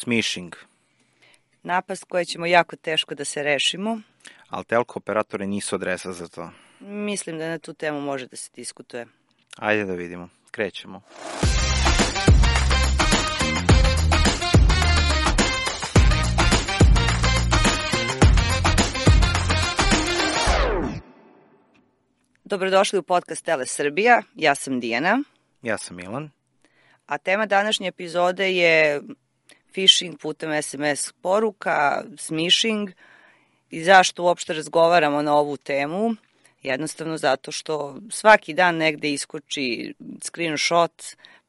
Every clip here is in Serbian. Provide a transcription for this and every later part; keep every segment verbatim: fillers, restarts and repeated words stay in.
Smishing. Napast koje ćemo jako teško da se rešimo. Ali telko operatori nisu adresa za to. Mislim da na tu temu može da se diskutuje. Ajde da vidimo. Krećemo. Dobrodošli u podcast Tele Srbija. Ja sam Dijana. Ja sam Milan. A tema današnje epizode je phishing putem es em es poruka, smishing. I zašto uopšte razgovaramo na ovu temu? Jednostavno zato što svaki dan negde iskoči screenshot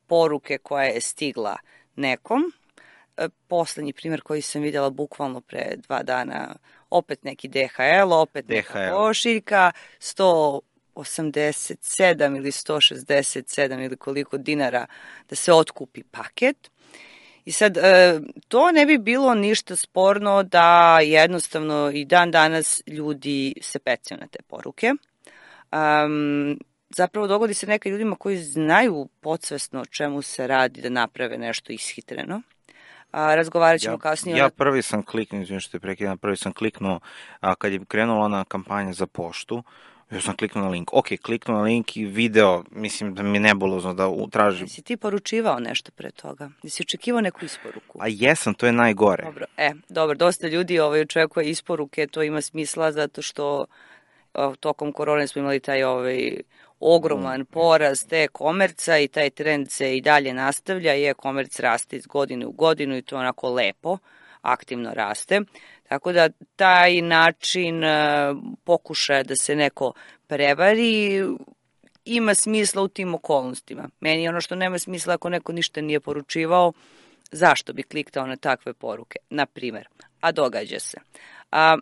poruke koja je stigla nekom. Poslednji primjer koji sam vidjela bukvalno pre dva dana, opet neki de ha el, opet neka pošiljka, sto osamdeset sedam ili sto šezdeset sedam ili koliko dinara da se otkupi paket. I sad, to ne bi bilo ništa sporno da jednostavno i dan danas ljudi se pecaju na te poruke. Um, zapravo dogodi se neka ljudima koji znaju podsvesno o čemu se radi da naprave nešto ishitreno. A, razgovarat ćemo ja, kasnije. Ja prvi sam kliknuo, izvijem što je prekidam, prvi sam kliknuo, a, kad je krenula ona kampanja za poštu, ja sam kliknuo na link. Ok, kliknuo na link i video, mislim da mi je nebulozno da tražim. Jesi ti poručivao nešto pre toga? Jesi očekivao neku isporuku? A jesam, to je najgore. Dobro, e, dobro, dosta ljudi ovaj, očekuje isporuke, to ima smisla zato što o, tokom korone smo imali taj ovaj, ogroman porast e-komerca i taj trend se i dalje nastavlja i e-komerc raste iz godine u godinu i to onako lepo, aktivno raste. Tako da taj način pokušaja da se neko prevari ima smisla u tim okolnostima. Meni je ono što nema smisla ako neko ništa nije poručivao, zašto bi kliktao na takve poruke, na primer, a događa se. A,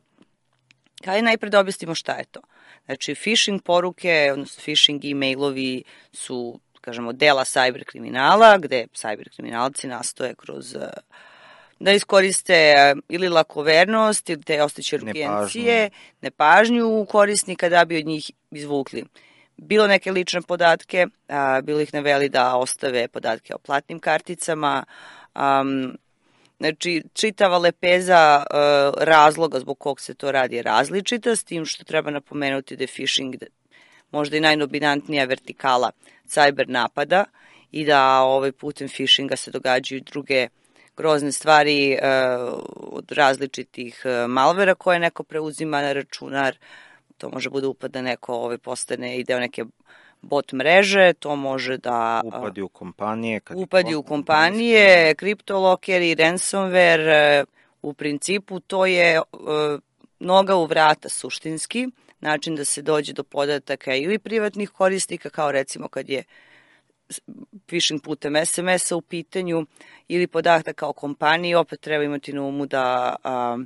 kaj najpred da objasnimo šta je to? Znači, phishing poruke, odnosno phishing e-mailovi su, kažemo, dela cyber kriminala, gde cyber kriminalci nastoje kroz da iskoriste ili lakovernost ili te osteće rukijencije, nepažnju korisnika da bi od njih izvukli bilo neke lične podatke, a, bilo ih naveli da ostave podatke o platnim karticama, um, znači čitava lepeza uh, razloga zbog kog se to radi je različita, s tim što treba napomenuti da je phishing možda i najdominantnija vertikala cyber napada i da ovaj putem phishinga se događaju druge grozne stvari uh, od različitih uh, malvera koje neko preuzima na računar. To može bude upad da neko ovaj, postane i deo neke bot mreže, to može da Uh, upadi u kompanije. Kad upadi u kompanije, kriptolokeri, ransomware, uh, u principu to je uh, noga u vrata suštinski, način da se dođe do podataka ili privatnih korisnika, kao recimo kad je phishing putem es em es-a u pitanju ili podataka o kompaniji, opet treba imati na umu da a,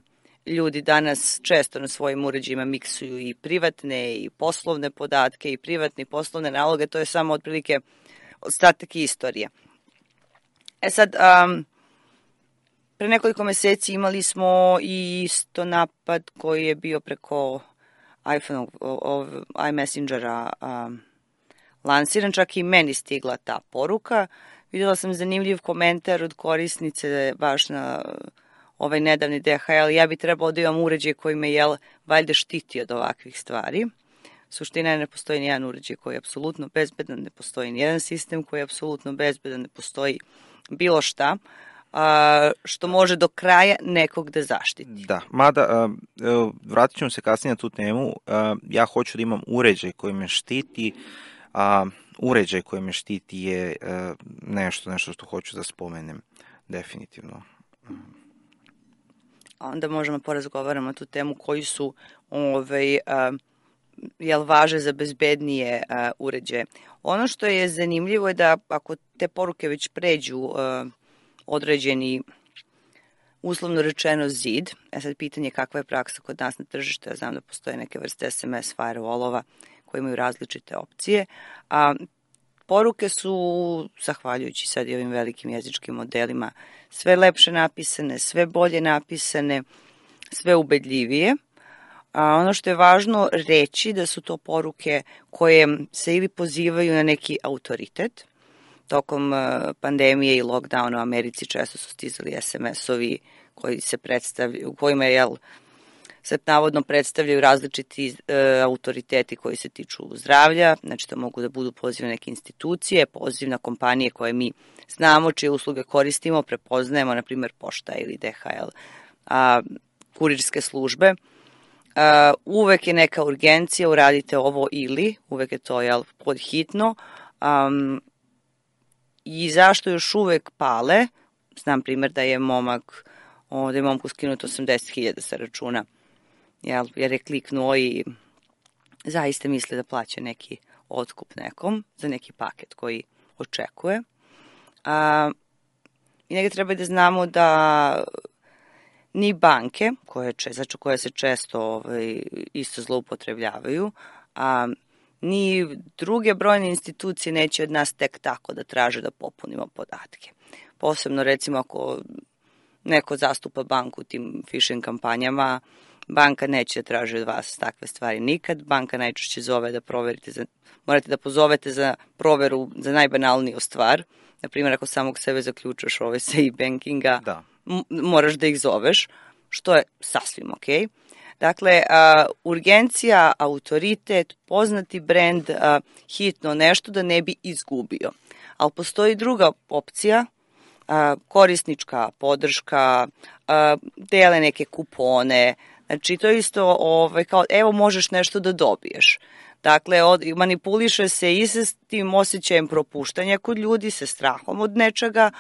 ljudi danas često na svojim uređajima miksuju i privatne i poslovne podatke i privatne i poslovne naloge, to je samo otprilike ostatak istorije. E sad, a, pre nekoliko meseci imali smo i isto napad koji je bio preko iPhone, iMessengera, a, lansiran, čak i meni stigla ta poruka. Vidjela sam zanimljiv komentar od korisnice baš na ovaj nedavni de ha el. Ja bi trebao da imam uređaj koji me jel, valjda štiti od ovakvih stvari. Suština je ne postoji nijedan uređaj koji je apsolutno bezbedan, ne postoji nijedan sistem koji je apsolutno bezbedan, ne postoji bilo šta a, što može do kraja nekog da zaštiti. Da, mada vratit ćemo se kasnije na tu temu. Ja hoću da imam uređaj koji me štiti. A uređaj koji me štiti je uh, nešto, nešto što hoću da spomenem, definitivno. Onda možemo porazgovaramo tu temu koji su ovaj, uh, jel važe za bezbednije uh, uređaje. Ono što je zanimljivo je da ako te poruke već pređu uh, određeni, uslovno rečeno, zid, e sad pitanje je kakva je praksa kod nas na tržištu, ja znam da postoje neke vrste es em es firewallova koji imaju različite opcije, a poruke su, zahvaljujući sad i ovim velikim jezičkim modelima, sve lepše napisane, sve bolje napisane, sve ubedljivije. A ono što je važno reći da su to poruke koje se ili pozivaju na neki autoritet, tokom pandemije i lockdowna u Americi često su stizali es em es-ovi koji se predstavljaju, u kojima je, jel, se navodno predstavljaju različiti e, autoriteti koji se tiču zdravlja, znači to mogu da budu poziv na neke institucije, poziv na kompanije koje mi znamo, čije usluge koristimo, prepoznajemo, na primjer Pošta ili de ha el, a, kurirske službe. A, uvek je neka urgencija, uradite ovo ili, uvek je to, jel, podhitno. Um, I zašto još uvek pale? Znam primjer da je momak, o, da je momku skinuto osamdeset hiljada sa računa, jel, jer je kliknuo i zaista misli da plaća neki otkup nekom za neki paket koji očekuje. A, I negdje treba da znamo da ni banke, koje, znači, koje se često ovaj, isto zloupotrebljavaju, a ni druge brojne institucije neće od nas tek tako da traže da popunimo podatke. Posebno, recimo, ako neko zastupa banku u tim phishing kampanjama, banka neće da traži od vas takve stvari nikad. Banka najčešće zove da proverite, za, morate da pozovete za proveru za najbanalniju stvar. Naprimjer, ako samog sebe zaključaš ovaj sa e-bankinga, da. moraš da ih zoveš, što je sasvim okej. Okay. Dakle, a, urgencija, autoritet, poznati brend, a, hitno nešto da ne bi izgubio. Ali postoji druga opcija, a, korisnička podrška, a, dele neke kupone, znači to je isto ovaj, kao evo možeš nešto da dobiješ. Dakle, od, manipuliše se i sa tim osjećajem propuštanja kod ljudi, sa strahom od nečega,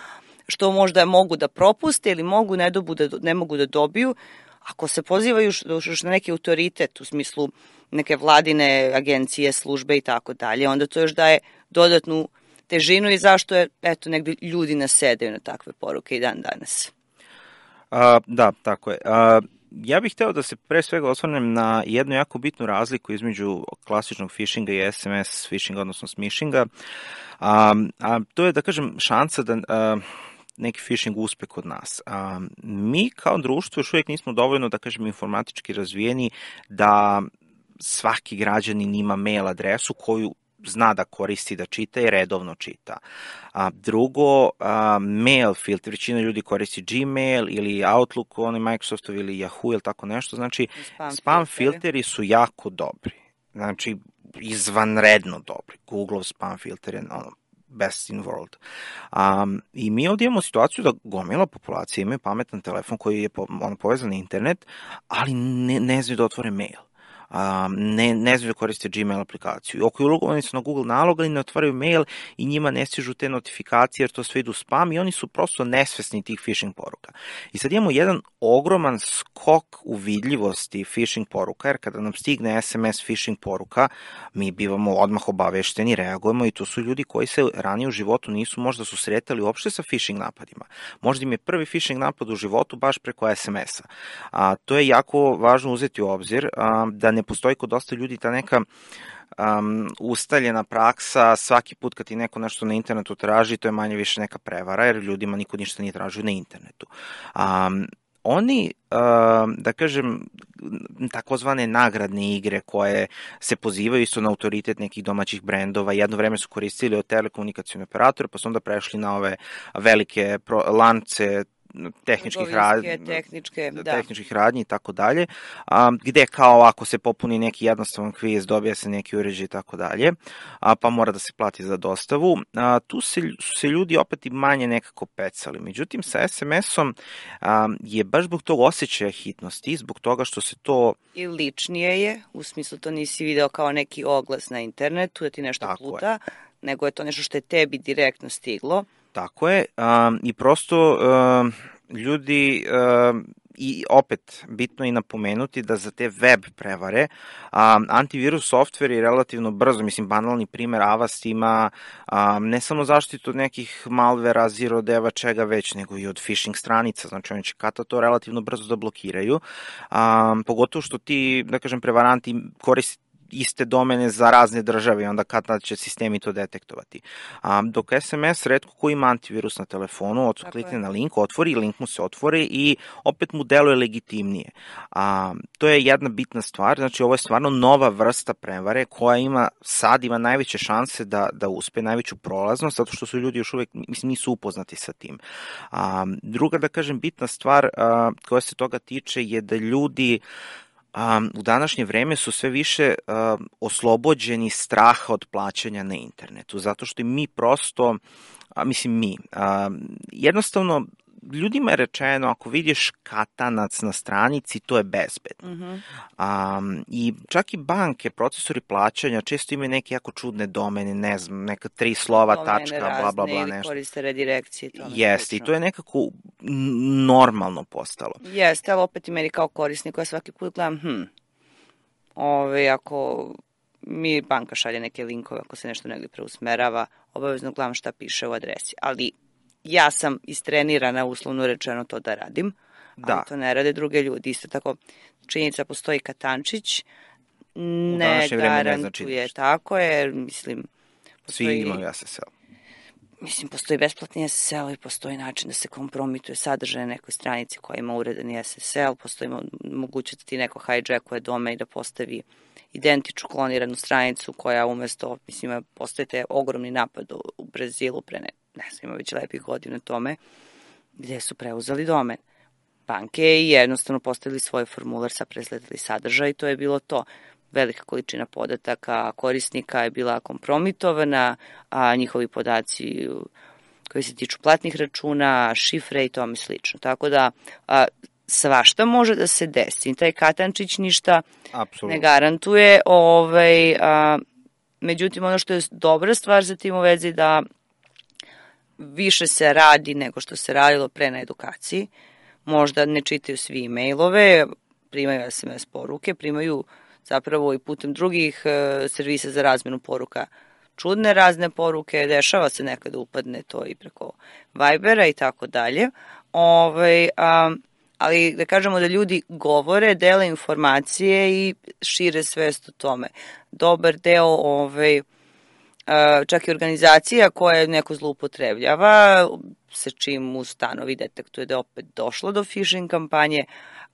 što možda mogu da propuste ili mogu ne, da, ne mogu da dobiju. Ako se pozivaju još na neki autoritet u smislu neke vladine agencije, službe i tako dalje, onda to još daje dodatnu težinu i zašto je, eto, negdje ljudi nasedaju na takve poruke i dan danas. A, da, tako je. A, ja bih hteo da se pre svega osvrnem na jednu jako bitnu razliku između klasičnog phishinga i es em es phishinga, odnosno smishinga. A, a to je, da kažem, šansa da a, neki phishing uspe kod nas. A, mi kao društvo još uvijek nismo dovoljno, da kažem, informatički razvijeni da svaki građanin ima mail adresu koju zna da koristi, da čita i redovno čita. A, drugo, a, mail filter, većina ljudi koristi Gmail ili Outlook, oni Microsoftov ili Yahoo ili tako nešto, znači spam, spam filteri. filteri su jako dobri, znači izvanredno dobri. Google spam filter je ono, best in world. Um, I mi ovdje imamo situaciju da gomila populacije imaju pametan telefon koji je po, on, povezan na internet, ali ne, ne znaju da otvore mail. Um, ne, ne znaju da koriste Gmail aplikaciju. Oko ulogovani su na Google nalog, ali ne otvaraju mail i njima ne stižu te notifikacije jer to sve idu spam i oni su prosto nesvesni tih phishing poruka. I sad imamo jedan ogroman skok u vidljivosti phishing poruka, jer kada nam stigne es em es phishing poruka, mi bivamo odmah obavešteni, reagujemo i to su ljudi koji se ranije u životu nisu možda susretali uopšte sa phishing napadima. Možda im je prvi phishing napad u životu baš preko es em es-a. A, to je jako važno uzeti u obzir, a, da ne postoji kod dosta ljudi ta neka um, ustaljena praksa, svaki put kad ti neko nešto na internetu traži, to je manje više neka prevara, jer ljudima niko ništa nije tražio na internetu. Um, oni, uh, da kažem, takozvane nagradne igre koje se pozivaju isto na autoritet nekih domaćih brendova, jedno vreme su koristili od telekomunikacijone operatore, pa su onda prešli na ove velike pro, lance tehničkih radnji, tehničke, da. tehničkih radnji i tako dalje, gde kao ako se popuni neki jednostavan kviz, dobija se neki uređaj i tako dalje, pa mora da se plati za dostavu. A, tu se, su se ljudi opet i manje nekako pecali. Međutim, sa es em es-om a, je baš zbog tog osjećaja hitnosti, zbog toga što se to... I ličnije je, u smislu to nisi video kao neki oglas na internetu, da ti nešto tako pluta, je. Nego je to nešto što je tebi direktno stiglo. Tako je, um, i prosto um, ljudi, um, i opet bitno je napomenuti da za te web prevare um, antivirus software je relativno brzo, mislim banalni primer Avast ima um, ne samo zaštitu od nekih malvera, zero deva, čega već, nego i od phishing stranica, znači oni će kata to relativno brzo da blokiraju, um, pogotovo što ti, da kažem, prevaranti koriste iste domene za razne države i onda kad tad će sistemi to detektovati. A, dok es em es retko ko ima antivirus na telefonu, klikne na link, otvori, link mu se otvori i opet mu deluje legitimnije. A, to je jedna bitna stvar, znači ovo je stvarno nova vrsta prevare koja ima, sad ima najveće šanse da, da uspe, najveću prolaznost, zato što su ljudi još uvek, mislim, nisu upoznati sa tim. A, druga, da kažem, bitna stvar a, koja se toga tiče je da ljudi Um, u današnje vreme su sve više uh, oslobođeni straha od plaćanja na internetu, zato što mi prosto, a, mislim mi, a, jednostavno ljudima je rečeno ako vidiš katanac na stranici, to je bezbedno. Mm-hmm. Um, I čak i banke, procesori plaćanja često imaju neke jako čudne domene, ne znam, neka tri slova, domene tačka, razne, bla, bla, bla, nešto. Ili koriste redirekcije. Jeste, i to je nekako normalno postalo. Jeste, ali opet i meni kao korisnik koja svaki put gledam, hm, ove, ako mi banka šalje neke linkove, ako se nešto negdje preusmerava, obavezno gledam šta piše u adresi, ali ja sam istrenirana, uslovno rečeno, to da radim, da. Ali to ne rade druge ljudi. Isto tako, činjenica postoji katančić, ne garantuje, ne tako je, mislim... Postoji, svi imaju es es el. Mislim, postoji besplatni es es el i postoji način da se kompromituje sadržaj na nekoj stranici koja ima uredani es es el, postoji mogućnost da ti neko hijackuje dome i da postavi identičnu kloniranu stranicu koja umesto, mislim, postoji te ogromni napad u Brazilu pre ne, ne znam, ima već lepih godina tome, gde su preuzeli domen. Banke i jednostavno postavili svoj formular, sa presledili sadržaj i to je bilo to. Velika količina podataka korisnika je bila kompromitovana, a njihovi podaci koji se tiču platnih računa, šifre i tome slično. Tako da a, svašta može da se desi. Taj katančić ništa Absolutno. Ne garantuje. Ovaj, a, međutim, ono što je dobra stvar za tim u vezi da više se radi nego što se radilo pre na edukaciji. Možda ne čitaju svi e-mailove, primaju es em es poruke, primaju zapravo i putem drugih e, servisa za razmenu poruka čudne razne poruke, dešava se nekada upadne to i preko Vibera i tako dalje. Ovaj, a, ali da kažemo da ljudi govore, dele informacije i šire svest o tome. Dobar deo ovaj, a, čak i organizacija koja neko zloupotrebljava, sa čim ustanovi detektuje da je opet došlo do phishing kampanje,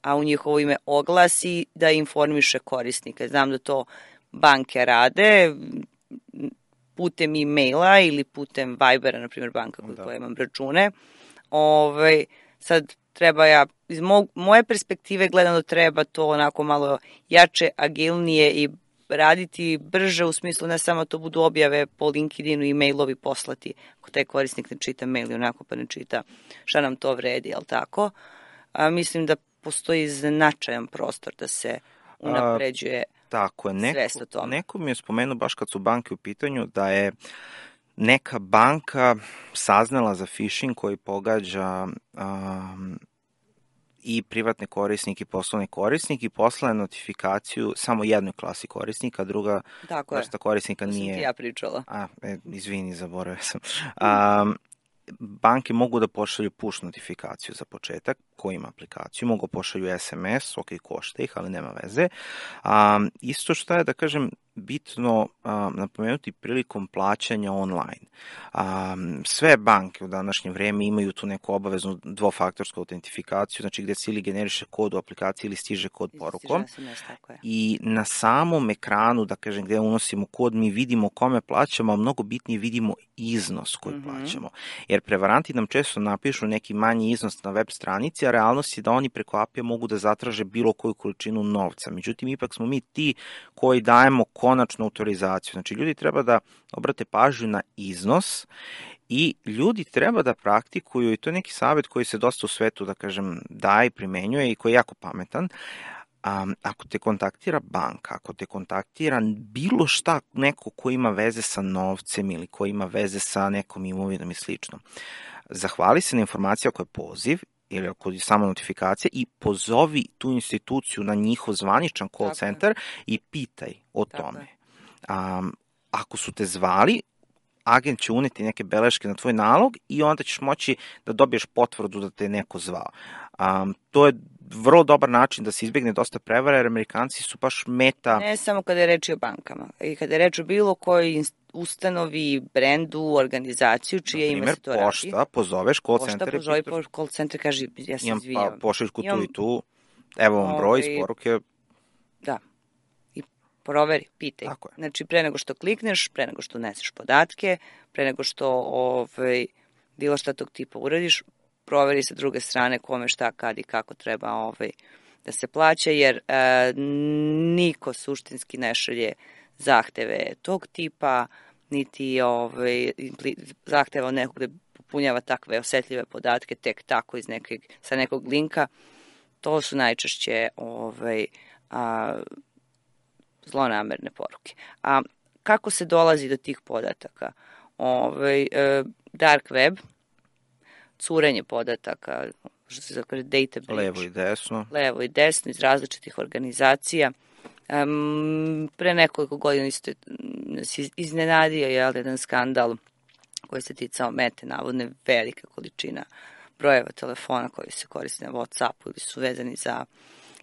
a u njihovo ime oglasi da informiše korisnike. Znam da to banke rade putem e-maila ili putem Vibera, na primjer banka kod koja imam račune. Ove, sad treba ja, iz mo, moje perspektive gledano treba to onako malo jače, agilnije i raditi brže u smislu ne samo to budu objave po LinkedInu i mailovi poslati. Ako taj korisnik ne čita mail i onako pa ne čita šta nam to vredi, jel tako? A, mislim da postoji značajan prostor da se unapređuje A, tako je. Neko, svest o tome. Neko mi je spomenuo baš kad su banke u pitanju da je neka banka saznala za phishing koji pogađa um, i privatne korisnike i poslovne korisnike i poslala notifikaciju samo jednoj klasi korisnika, druga tako vrsta korisnika to nije... To sam ti ja pričala. A, e, izvini, zaboravio sam. Um, banke mogu da pošalju push notifikaciju za početak, ko ima aplikaciju, mogu pošalju es em es, ok, košta ih, ali nema veze. Um, isto što je, da kažem, bitno um, napomenuti prilikom plaćanja online. Um, sve banke u današnje vreme imaju tu neku obaveznu dvofaktorsku autentifikaciju, znači gde se ili generiše kod u aplikaciji ili stiže kod porukom. I na samom ekranu, da kažem, gde unosimo kod, mi vidimo kome plaćamo, a mnogo bitnije vidimo iznos koji mm-hmm. plaćamo. Jer prevaranti nam često napišu neki manji iznos na web stranici, a realnost je da oni preko A P I mogu da zatraže bilo koju količinu novca. Međutim, ipak smo mi ti koji dajemo konačnu autorizaciju. Znači, ljudi treba da obrate pažnju na iznos i ljudi treba da praktikuju, i to je neki savjet koji se dosta u svetu, da kažem, daje i primenjuje i koji je jako pametan. Um, ako te kontaktira banka, ako te kontaktira bilo šta, neko ko ima veze sa novcem ili ko ima veze sa nekom imovinom i slično, zahvali se na informaciju ako je poziv ili ako je samo notifikacija i pozovi tu instituciju na njihov zvaničan call Tako. center i pitaj o Tako. tome. Um, ako su te zvali, agent će uneti neke beleške na tvoj nalog i onda ćeš moći da dobiješ potvrdu da te je neko zvao. Um, to je vrlo dobar način da se izbjegne dosta prevara, jer Amerikanci su baš meta... Ne samo kada je reč o bankama, i kada je reč o bilo kojoj ustanovi, brendu, organizaciju, čije ime se to radi. Pošta, pozoveš call pošta, center. Pošta, pozove call center, kaže, ja se izvijam. Pa, pošliš tu i tu, evo vam broj iz poruke. Da, i proveri, pitaj. Znači, pre nego što klikneš, pre nego što uneseš podatke, pre nego što ovaj, bilo šta tog tipa uradiš, proveri sa druge strane kome šta, kad i kako treba ovaj, da se plaća, jer e, niko suštinski ne šalje zahteve tog tipa, niti ovaj, zahteva od nekog da popunjava takve osetljive podatke tek tako iz nekog, sa nekog linka. To su najčešće ovaj, a, zlonamerne poruke. A kako se dolazi do tih podataka? Ovaj, e, dark web, curenje podataka, što se zove data breach. Levo i desno. Levo i desno iz različitih organizacija. Um, pre nekoliko godina isto nas iznenadio je jedan skandal koji se ticao Mete, navodne velika količina brojeva telefona koji se koriste na WhatsAppu ili su vezani za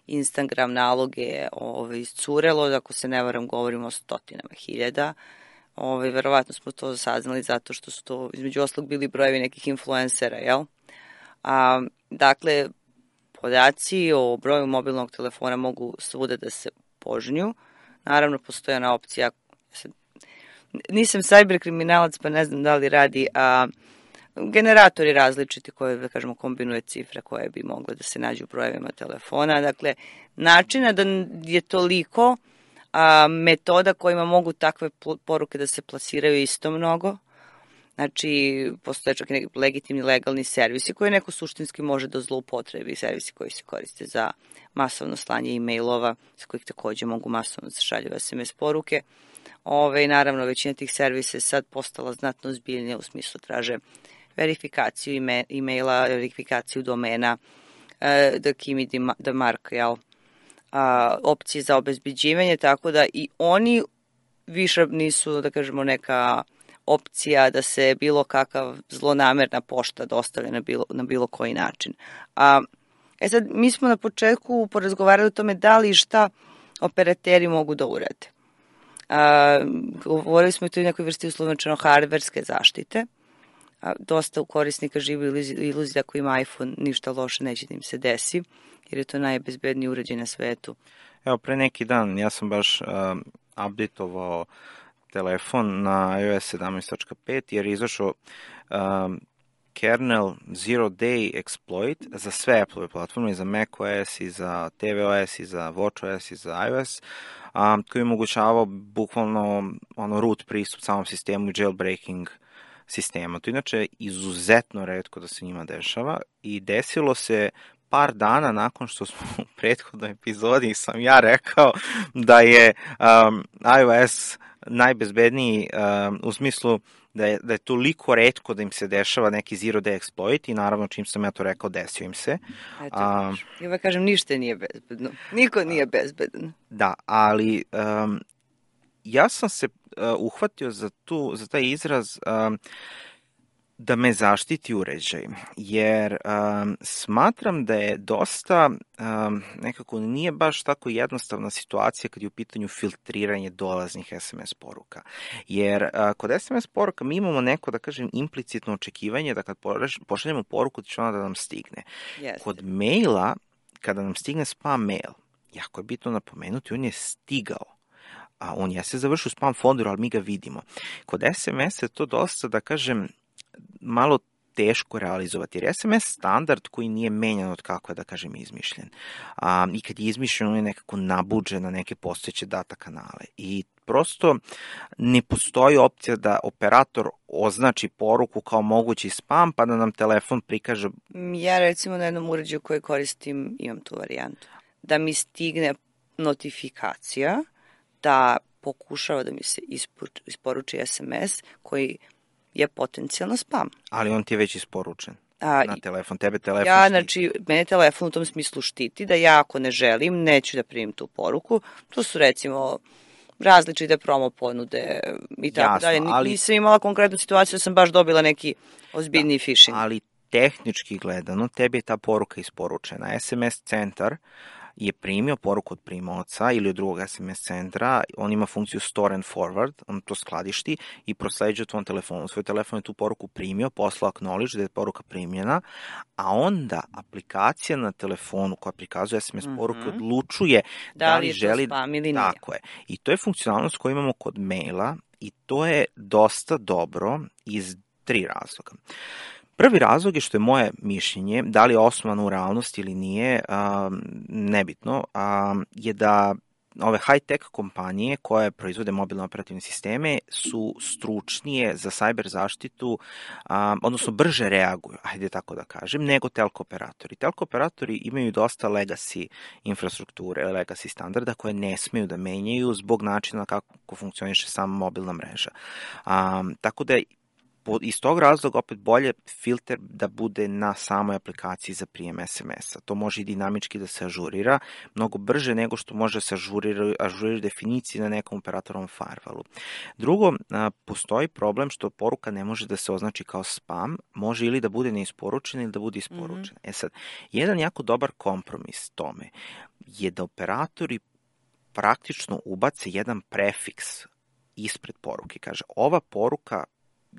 Instagram naloge ovaj, iscurelo, ako se ne varam govorimo o stotinama hiljada. Ovaj, verovatno smo to saznali zato što su to između oslog bili brojevi nekih influencera, jel? A, dakle, podaci o broju mobilnog telefona mogu svuda da se požnju. Naravno, postoji ona opcija, nisam cyber kriminalac pa ne znam da li radi, a generatori različiti koje, da kažemo, kombinuje cifre koje bi mogle da se nađu u brojevima telefona. Dakle, načina da je toliko, a, metoda kojima mogu takve poruke da se plasiraju isto mnogo. Znači, postoje čak i neki legitimni legalni servisi koje neko suštinski može da zloupotrebi, servisi koji se koriste za masovno slanje e-mailova, sa kojih takođe mogu masovno da se šalju es em es poruke. Ove, naravno, većina tih servisa je sad postala znatno ozbiljnija, u smislu traže verifikaciju e-maila, verifikaciju domena, da kimi da mark, jel, opcije za obezbeđivanje, tako da i oni više nisu, da kažemo, neka opcija da se bilo kakav zlonamerna pošta dostavlja na bilo, na bilo koji način. A, e sad, mi smo na početku porazgovarali o tome da li i šta operateri mogu da urade. A, govorili smo i to i nekoj vrsti uslovno hardverske zaštite. A, dosta u korisnika živi iluzija da ako ima iPhone ništa loše neće da im se desi, jer je to najbezbedniji uređaj na svetu. Evo, pre neki dan ja sam baš uh, updateovao telefon na i O S sedamnaest tačka pet jer je izašao um, kernel Zero Day Exploit za sve Apple platforme, i za macOS, i za tvOS, i za watchOS, i za iOS, um, koji je omogućavao bukvalno ono, root pristup samom sistemu i jailbreaking sistema. To inače izuzetno retko da se njima dešava i desilo se par dana nakon što smo u prethodnoj epizodi sam ja rekao da je um, iOS najbezbedniji um, u smislu da je, da je toliko retko da im se dešava neki zero day exploit i naravno čim sam ja to rekao desio im se. Eto, um, ja vam kažem ništa nije bezbedno. Niko nije bezbedan. Da, ali um, ja sam se uh, uhvatio za, tu, za taj izraz um, da me zaštiti uređaj, jer um, smatram da je dosta, um, nekako nije baš tako jednostavna situacija kad je u pitanju filtriranje dolaznih es em es poruka. Jer uh, kod es em es poruka mi imamo neko, da kažem, implicitno očekivanje da kad pošaljemo poruku da će ona da nam stigne. Yes. Kod maila, kada nam stigne spam mail, jako je bitno napomenuti, on je stigao. A on je se završio u spam folderu, ali mi ga vidimo. Kod es em es je to dosta, da kažem, malo teško realizovati, jer es em es standard koji nije menjan od kako je, da kažem, izmišljen. A, I kad je izmišljen, on je nekako nabuđen na neke postojeće data kanale. I prosto ne postoji opcija da operator označi poruku kao mogući spam, pa da nam telefon prikaže... Ja recimo na jednom uređaju koji koristim imam tu varijantu. Da mi stigne notifikacija, da pokušava da mi se isporuči es em es koji je potencijalno spam. Ali on ti je već isporučen A, na telefon. Tebe telefon ja, štiti. znači, mene telefon u tom smislu štiti da ja ako ne želim, neću da primim tu poruku. To su recimo različite promo ponude i tako Jasno, dalje. ali- Nisam imala konkretnu situaciju da sam baš dobila neki ozbiljniji phishing. Ali tehnički gledano, tebi je ta poruka isporučena. S M S centar je primio poruku od primaoca ili od drugog S M S centra, on ima funkciju store and forward, on to skladišti i prosleđuje tvom telefonu. Svoj telefon je tu poruku primio, poslao acknowledge da je poruka primljena, a onda aplikacija na telefonu koja prikazuje S M S poruke Mhm. odlučuje da, Da li li je to želi... spam ili nije. Tako je. I to je funkcionalnost koju imamo kod maila i to je dosta dobro iz tri razloga. Prvi razlog je što je moje mišljenje, da li je osnovano u realnosti ili nije, um, nebitno, um, je da ove high-tech kompanije koje proizvode mobilne operativne sisteme su stručnije za cyber zaštitu, um, odnosno brže reaguju, ajde tako da kažem, nego telko operatori. Telko operatori imaju dosta legacy infrastrukture, legacy standarda koje ne smeju da menjaju zbog načina kako funkcioniše sama mobilna mreža. Um, tako da iz tog razloga opet bolje filter da bude na samoj aplikaciji za prijem S M S-a. To može i dinamički da se ažurira, mnogo brže nego što može se ažurira, ažurira definicije na nekom operatorom firewallu. Drugo, postoji problem što poruka ne može da se označi kao spam, može ili da bude neisporučena ili da bude isporučena. Mm-hmm. E sad, jedan jako dobar kompromis tome je da operatori praktično ubace jedan prefiks ispred poruke. Kaže, ova poruka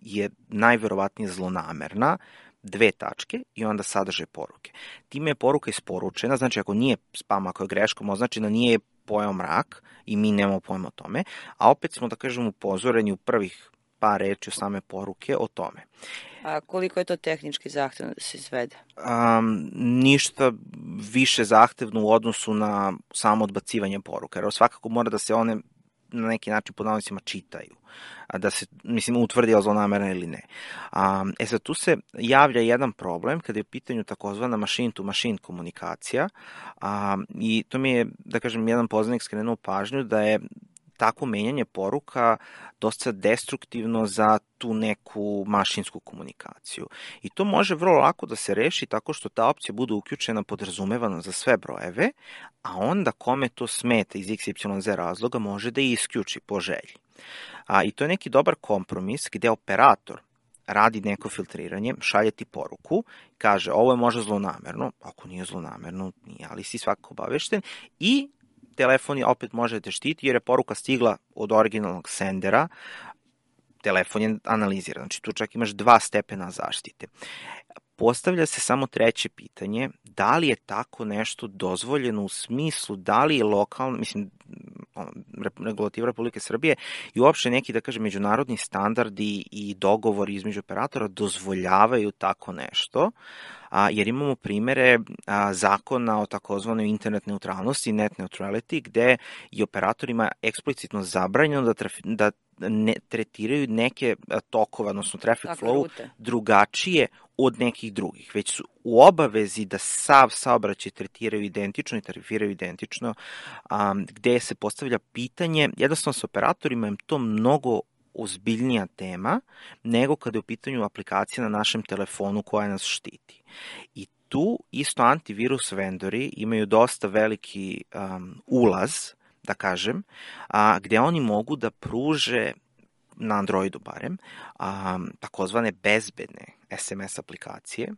je najverovatnije zlonamerna, dve tačke i onda sadrže poruke. Time je poruka isporučena, znači ako nije spam, ako je greškom označena, nije pojao mrak i mi nemamo pojma o tome, a opet smo, da kažem, upozoreni u prvih par reči o same poruke o tome. A koliko je to tehnički zahtevno da se izvede? Um, ništa više zahtevno u odnosu na samo odbacivanje poruka, jer svakako mora da se one na neki način pod navodnicima čitaju, da se, mislim, utvrdi je li zlonamerna ili ne. Um, e sad, tu se javlja jedan problem kada je u pitanju takozvana machine-to-machine komunikacija um, i to mi je, da kažem, jedan poznanik skrenuo pažnju da je takvo menjanje poruka dosta destruktivno za tu neku mašinsku komunikaciju. I to može vrlo lako da se reši tako što ta opcija bude uključena podrazumevano za sve brojeve, a onda kome to smeta iz iks ipsilon zet razloga može da isključi po želji. A, I to je neki dobar kompromis gde operator radi neko filtriranje, šalje ti poruku, kaže ovo je možda zlonamerno, ako nije zlonamerno, nije, ali si svakako obavešten i telefon je opet može da te štiti jer je poruka stigla od originalnog sendera, telefon je analiziran, znači tu čak imaš dva stepena zaštite. Postavlja se samo treće pitanje, da li je tako nešto dozvoljeno u smislu, da li je lokalno, mislim, regulativa Republike Srbije i uopšte neki, da kažem, međunarodni standardi i dogovori između operatora dozvoljavaju tako nešto, a, jer imamo primere a, zakona o takozvanoj internet neutralnosti, net neutrality, gde je operatorima eksplicitno zabranjeno da, traf, da ne tretiraju neke tokove, odnosno traffic Tako, flow, rute. drugačije od nekih drugih, već su u obavezi da sav saobraćaj tretiraju identično i tarifiraju identično, um, gde se postavlja pitanje, jednostavno sa operatorima je to mnogo ozbiljnija tema nego kada je u pitanju aplikacija na našem telefonu koja nas štiti. I tu isto antivirus vendori imaju dosta veliki um, ulaz, da kažem, a, gde oni mogu da pruže na Androidu barem, um, takozvane bezbedne es em es aplikacije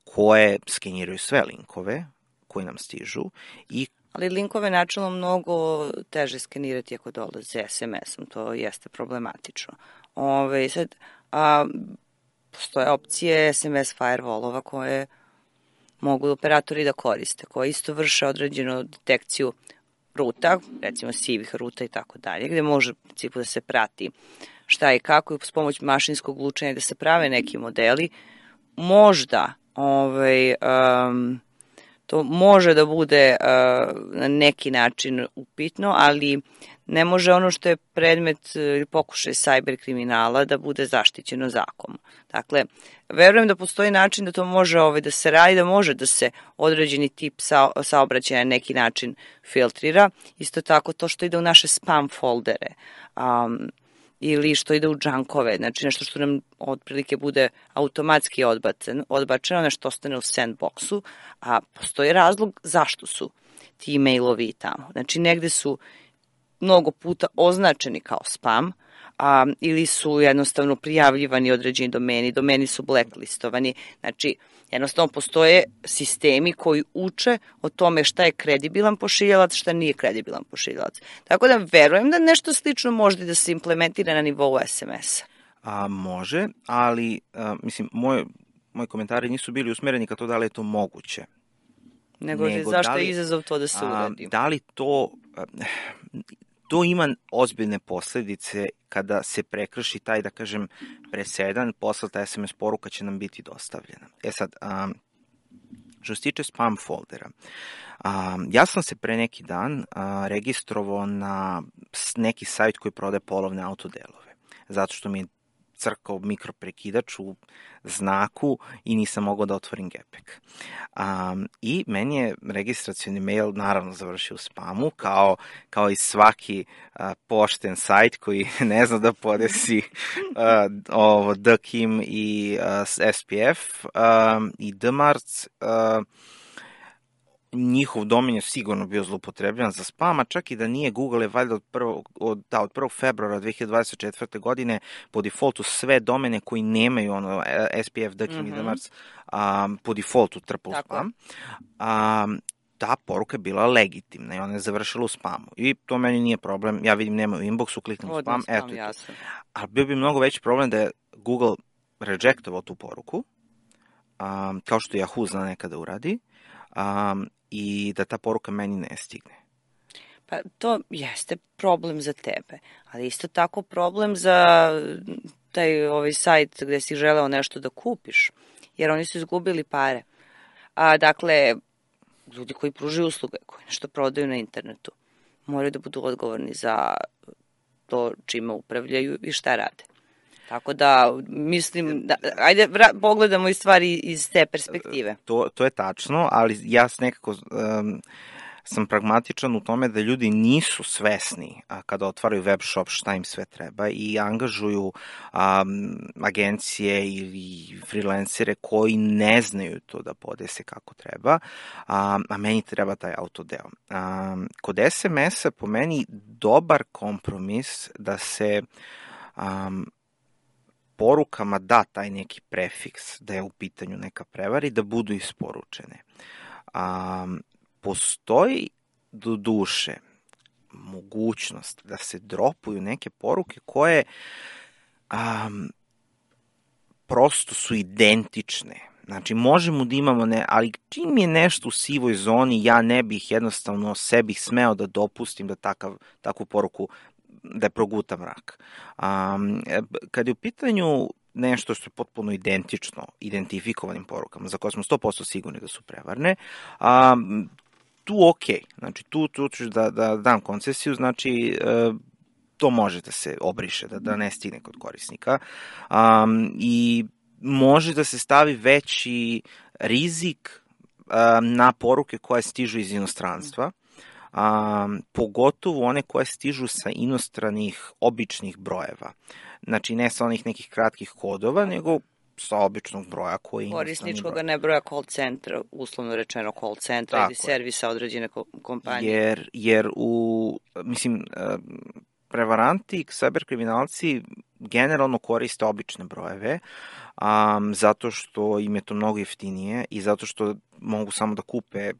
koje skeniraju sve linkove koji nam stižu i Ali linkove načelno mnogo teže skenirati ako dolaze es em esom, to jeste problematično. Ove, sad, a, postoje opcije es em es firewallova koje mogu operatori da koriste, koje isto vrše određenu detekciju ruta, recimo sivih ruta i tako dalje, gde može u principu da se prati šta i kako i s pomoć mašinskog učenja da se prave neki modeli. Možda ovaj, um, to može da bude uh, na neki način upitno, ali ne može ono što je predmet ili pokušaj cyber kriminala da bude zaštićeno zakonom. Dakle, verujem da postoji način da to može ovaj, da se radi, da može da se određeni tip sa, saobraćaja na neki način filtrira. Isto tako to što ide u naše spam foldere um, ili što ide u džankove, znači nešto što nam otprilike bude automatski odbacen, odbačeno, nešto ostane u sandboxu, a postoji razlog zašto su ti mailovi tamo. Znači negde su mnogo puta označeni kao spam, a, ili su jednostavno prijavljivani određeni domeni, domeni su blacklistovani, znači jednostavno postoje sistemi koji uče o tome šta je kredibilan pošiljalac, šta nije kredibilan pošiljalac. Tako da verujem da nešto slično može da se implementira na nivou es em es-a. A, može, ali a, mislim, moj, moji komentari nisu bili usmereni ka to da li je to moguće. Nego, Nego zašto da li, je izazov to da se uradi? Da li to... A, to ima ozbiljne posledice kada se prekrši taj, da kažem, presedan, poslata es em es poruka će nam biti dostavljena. E sad, um, što se tiče spam foldera, um, ja sam se pre neki dan uh, registrovao na neki sajt koji prodaje polovne autodelove, zato što mi je crkao mikroprekidač u znaku i nisam mogao da otvorim gepek. Um, I meni je registracioni mail naravno završio u spamu, kao, kao i svaki uh, pošten sajt koji ne zna da podesi uh, ovo D K I M i uh, S P F um, i D Marts. Uh, njihov domen je sigurno bio zloupotrebljan za spam, a čak i da nije, Google je valjda od prvog, od, da, od prvog februara dve hiljade dvadeset četvrte. godine po defaultu sve domene koji nemaju ono S P F, D K I M mm-hmm. i D Marts um, po defaultu trpa u spam. Um, ta poruka je bila legitimna i ona je završila u spamu. I to meni nije problem, ja vidim nema u inboxu, kliknem u spam, spam, eto je to. Ali bio bi mnogo veći problem da je Google rejectovao tu poruku, um, kao što Yahoo zna nekada uradi, um, i da ta poruka meni ne stigne. Pa to jeste problem za tebe, ali isto tako problem za taj ovaj sajt gde si želeo nešto da kupiš, jer oni su izgubili pare. A dakle, ljudi koji pružaju usluge, koji nešto prodaju na internetu, moraju da budu odgovorni za to čime upravljaju i šta rade. Tako da, mislim, da, ajde vra, pogledamo i stvari iz te perspektive. To, to je tačno, ali ja nekako um, sam pragmatičan u tome da ljudi nisu svesni a, kada otvaraju web shop šta im sve treba i angažuju um, agencije ili freelancere koji ne znaju to da podese kako treba, um, a meni treba taj autodeo. Um, kod es em es-a po meni dobar kompromis da se um, porukama da taj neki prefiks da je u pitanju neka prevara i da budu isporučene. Um, postoji do duše mogućnost da se dropuju neke poruke koje um, prosto su identične. Znači, možemo da imamo, ne, ali čim je nešto u sivoj zoni, ja ne bih jednostavno sebi smeo da dopustim da takav, takvu poruku da je proguta mrak. Um, kad je u pitanju nešto što je potpuno identično identifikovanim porukama, za koje smo sto posto sigurni da su prevarne, um, tu ok, znači tu, tu ću da, da dam koncesiju, znači uh, to može da se obriše, da, da ne stigne kod korisnika um, i može da se stavi veći rizik um, na poruke koje stižu iz inostranstva, Um, pogotovo one koje stižu sa inostranih običnih brojeva. Znači, ne sa onih nekih kratkih kodova, nego sa običnog broja koji je korisničkog, broj. Ne broja call centra, uslovno rečeno call centra Tako ili servisa određene kompanije. Jer, jer u, mislim, prevaranti, cyberkriminalci generalno koriste obične brojeve, um, zato što im je to mnogo jeftinije i zato što mogu samo da kupe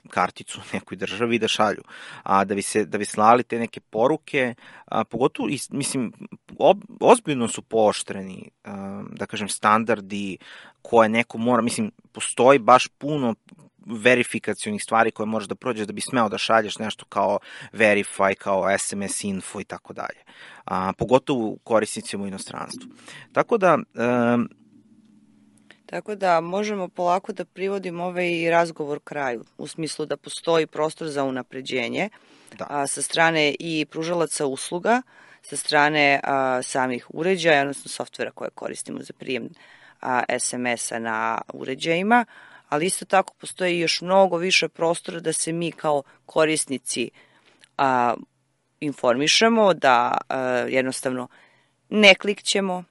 karticu u nekoj državi i da šalju. A da bi se da bi slali te neke poruke, a, pogotovo mislim ob, ozbiljno su pooštreni, a, da kažem, standardi koje neko mora, mislim, postoji baš puno verifikacionih stvari koje moraš da prođeš da bi smeo da šalješ nešto kao Verify, kao es em es info i tako dalje. A, pogotovo korisnicima u inostranstvu. Tako da a, Tako da možemo polako da privodimo ovaj razgovor kraju, u smislu da postoji prostor za unapređenje da. a, sa strane i pružalaca usluga, sa strane a, samih uređaja, odnosno softvera koje koristimo za prijem a, es em es-a na uređajima, ali isto tako postoji još mnogo više prostora da se mi kao korisnici a, informišemo, da a, jednostavno ne klikćemo,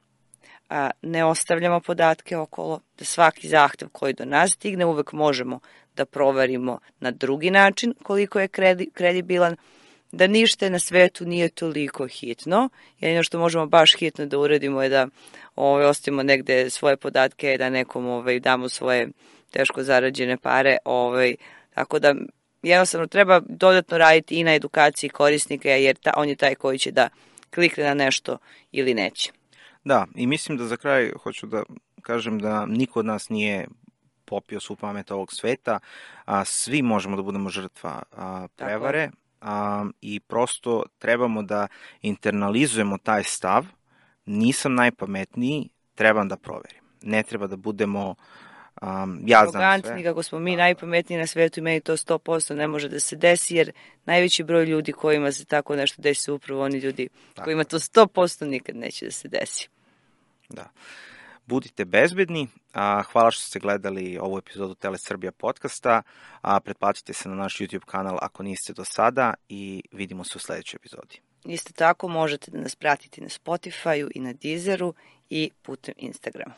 a, ne ostavljamo podatke okolo, da svaki zahtev koji do nas stigne uvek možemo da proverimo na drugi način koliko je kredi, kredibilan, da ništa na svetu nije toliko hitno. Jedino što možemo baš hitno da uradimo je da ovaj, ostavimo negde svoje podatke, da nekom ovaj, damo svoje teško zarađene pare. Ovaj, tako da jednostavno treba dodatno raditi i na edukaciji korisnika, jer ta, on je taj koji će da klikne na nešto ili neće. Da, i mislim da za kraj hoću da kažem da niko od nas nije popio svu pamet ovog sveta, a, svi možemo da budemo žrtva a, prevare a, i prosto trebamo da internalizujemo taj stav, nisam najpametniji, trebam da proverim. Ne treba da budemo Um, ja znam sve. Kako smo mi najpametniji na svetu i meni to sto posto ne može da se desi, jer najveći broj ljudi kojima se tako nešto desi su upravo oni ljudi tako. Kojima to sto posto nikad neće da se desi. Da. Budite bezbedni, a, hvala što ste gledali ovu epizodu Tele Srbija podcasta, a pretplatite se na naš YouTube kanal ako niste do sada i vidimo se u sledećoj epizodi. Isto tako možete da nas pratite na Spotify-u i na Deezeru i putem Instagrama.